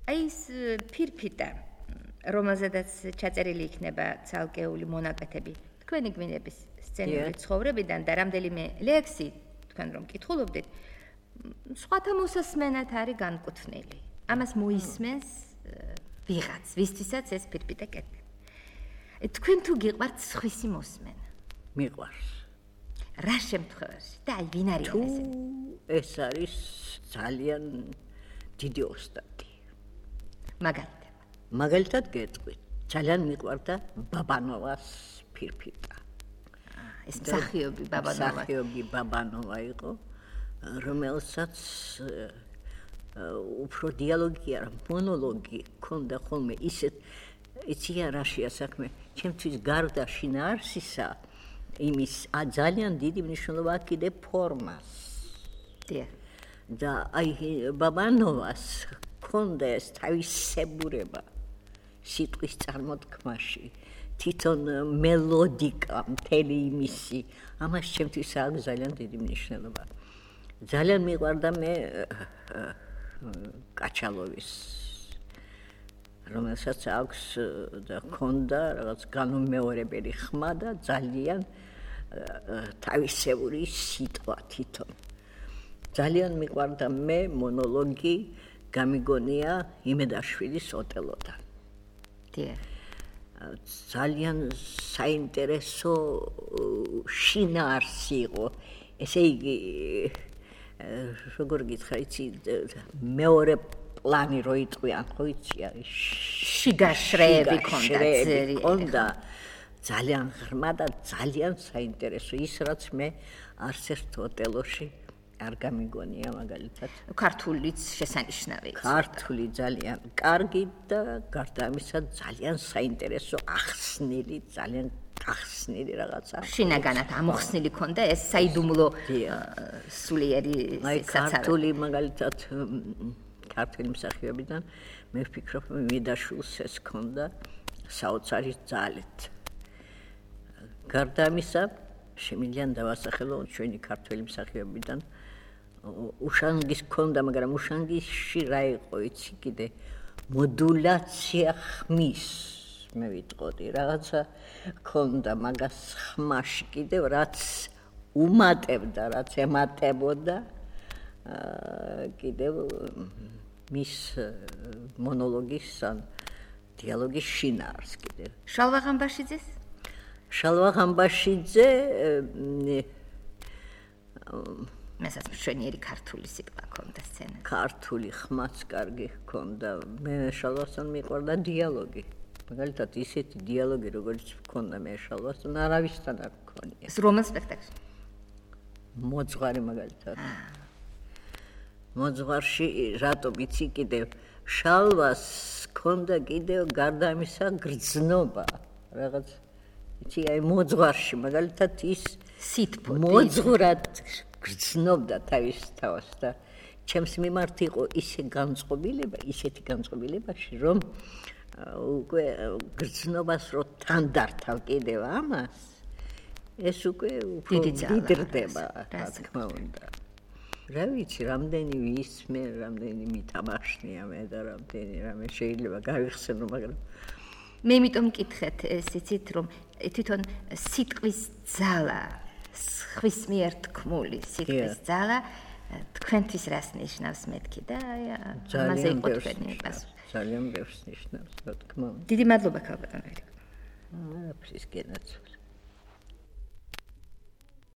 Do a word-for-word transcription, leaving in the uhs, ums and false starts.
აი ეს ფირფიტა, რომელზედაც ჩაწერილი იქნება ცალკეული მონაკვეთები თქვენი გვინების სცენური ცხოვრებიდან და რამდენიმე ლექსი თქვენ რომ კითხულობდით, სხვათა მოსასმენად არის განკუთვნილი. ამას მოისმენს ვიღაც, ვისთვისაც ეს ფირფიტა კეთილი. თქვენ თუ გიყვართ სხვისი მოსმენა? მიყვარს. რა შემთხვევაში? და აი ვინ არის ეს? ეს არის ძალიან დიდი ოსტატი. მაგალითად. მაგალითად გეტყვით, ძალიან მიყვარდა ბაბანოვას ფირფიტა. ეს მსახიობი ბაბანოვა. მსახიობი ბაბანოვა იყო, რომელსაც უფრო დიალოგი არა, მონოლოგი ჰქონდა ხოლმე ისეთ იცი რაშია საქმე, ჩემთვის გარდა შინაარსისა იმის ძალიან დიდი მნიშვნელობა კიდე ფორმას. დიახ. და აი ბაბანოვას ჰქონდა ეს თავისებურება სიტყვის წარმოთქმაში, თვითონ მელოდიკა, მთელი იმისი, ამას ჩემთვის აქვს ძალიან დიდი მნიშვნელობა. ძალიან მიყვარდა მე კაჩალოვის, რომელსაც აქვს და ჰქონდა რაღაც განუმეორებელი ხმა და ძალიან თავისებური სიტყვა თვითონ. ძალიან მიყვარდა მე მონოლოგი გამიგონია იმედაშვილის ოტელოდან. დიახ. ძალიან საინტერესო შინაარსი იყო. ესე იგი, როგორ გითხრა, იცი, მეორე პლანი რო იტყვიან, ხო იცი, არის შიგაშრეები ქონდა. ძალიან ღრმა და ძალიან საინტერესო. ის რაც მე არც ერთ ოტელოში არ გამიგონია მაგალითად. ქართულიც შესანიშნავი. ქართული ძალიან კარგი და გარდა ამისა ძალიან საინტერესო ახსნილი, ძალიან ახსნილი რაღაცა. შინაგანად ამოხსნილი ქონდა ეს საიდუმლო სულიერი საცავი. ქართული მაგალითად ქართული მსახიობიდან მე ვფიქრობ მიდაშულს ეს ქონდა საოცარი ძალით. გარდა ამისა შემიძლია დავასახელო ჩვენი ქართული მსახიობიდან უშანგის ქონდა, მაგრამ უშანგისში რა იყო იცი კიდე მოდულაცია ხმის მე ვიტყოდი რაღაცა ქონდა მაგას ხმაში კიდევ რაც უმატებდა, რაც ემატებოდა კიდევ მის მონოლოგის ან დიალოგის შინაარს კიდევ. შალვა ღამბაშიძეს? შალვა ღამბაშიძე მესაც მშვენიერი ქართული სიტყვა ქონდა სცენაზე. ქართული ხმაც კარგი ჰქონდა. მე შალვასთან მიყვარდა დიალოგი. მაგალითად ისეთი დიალოგი როგორც ჰქონდა მე შალვასთან არავისთან არ მქონია. ეს რომელ სპექტაკლში? მოძღვარი მაგალითად. მოძღვარში რატომ იცი კიდევ შალვას ჰქონდა კიდევ გარდა ამისა გრძნობა. რაღაც იცი აი მოძღვარში მაგალითად ის სითბო მოძღვრად გრძნობდა თავის თავს და ჩემს მიმართ იყო ისე განწყობილება, ისეთი განწყობილებაში, რომ უკვე გრძნობას რო თან დართავ კიდევ ამას, ეს უკვე უფრო დიდრდება, რა თქმა უნდა. რა ვიცი, რამდენი ვისმე, რამდენი მითამაშნია მე და რამდენი რამე შეიძლება გავიხსენო, მაგრამ მე იმიტომ მკითხეთ, ეს იცით, რომ თვითონ სიტყვის ძალა, ხვის მიერ თქმული სიტყვის ძალა თქვენთვის რას ნიშნავს მეთქი და ამაზე იყო თქვენი პასუხი. ძალიან ბევრს ნიშნავს, რა თქმა უნდა. დიდი მადლობა ქალბატონ. აა, ფრის გენაცვლე.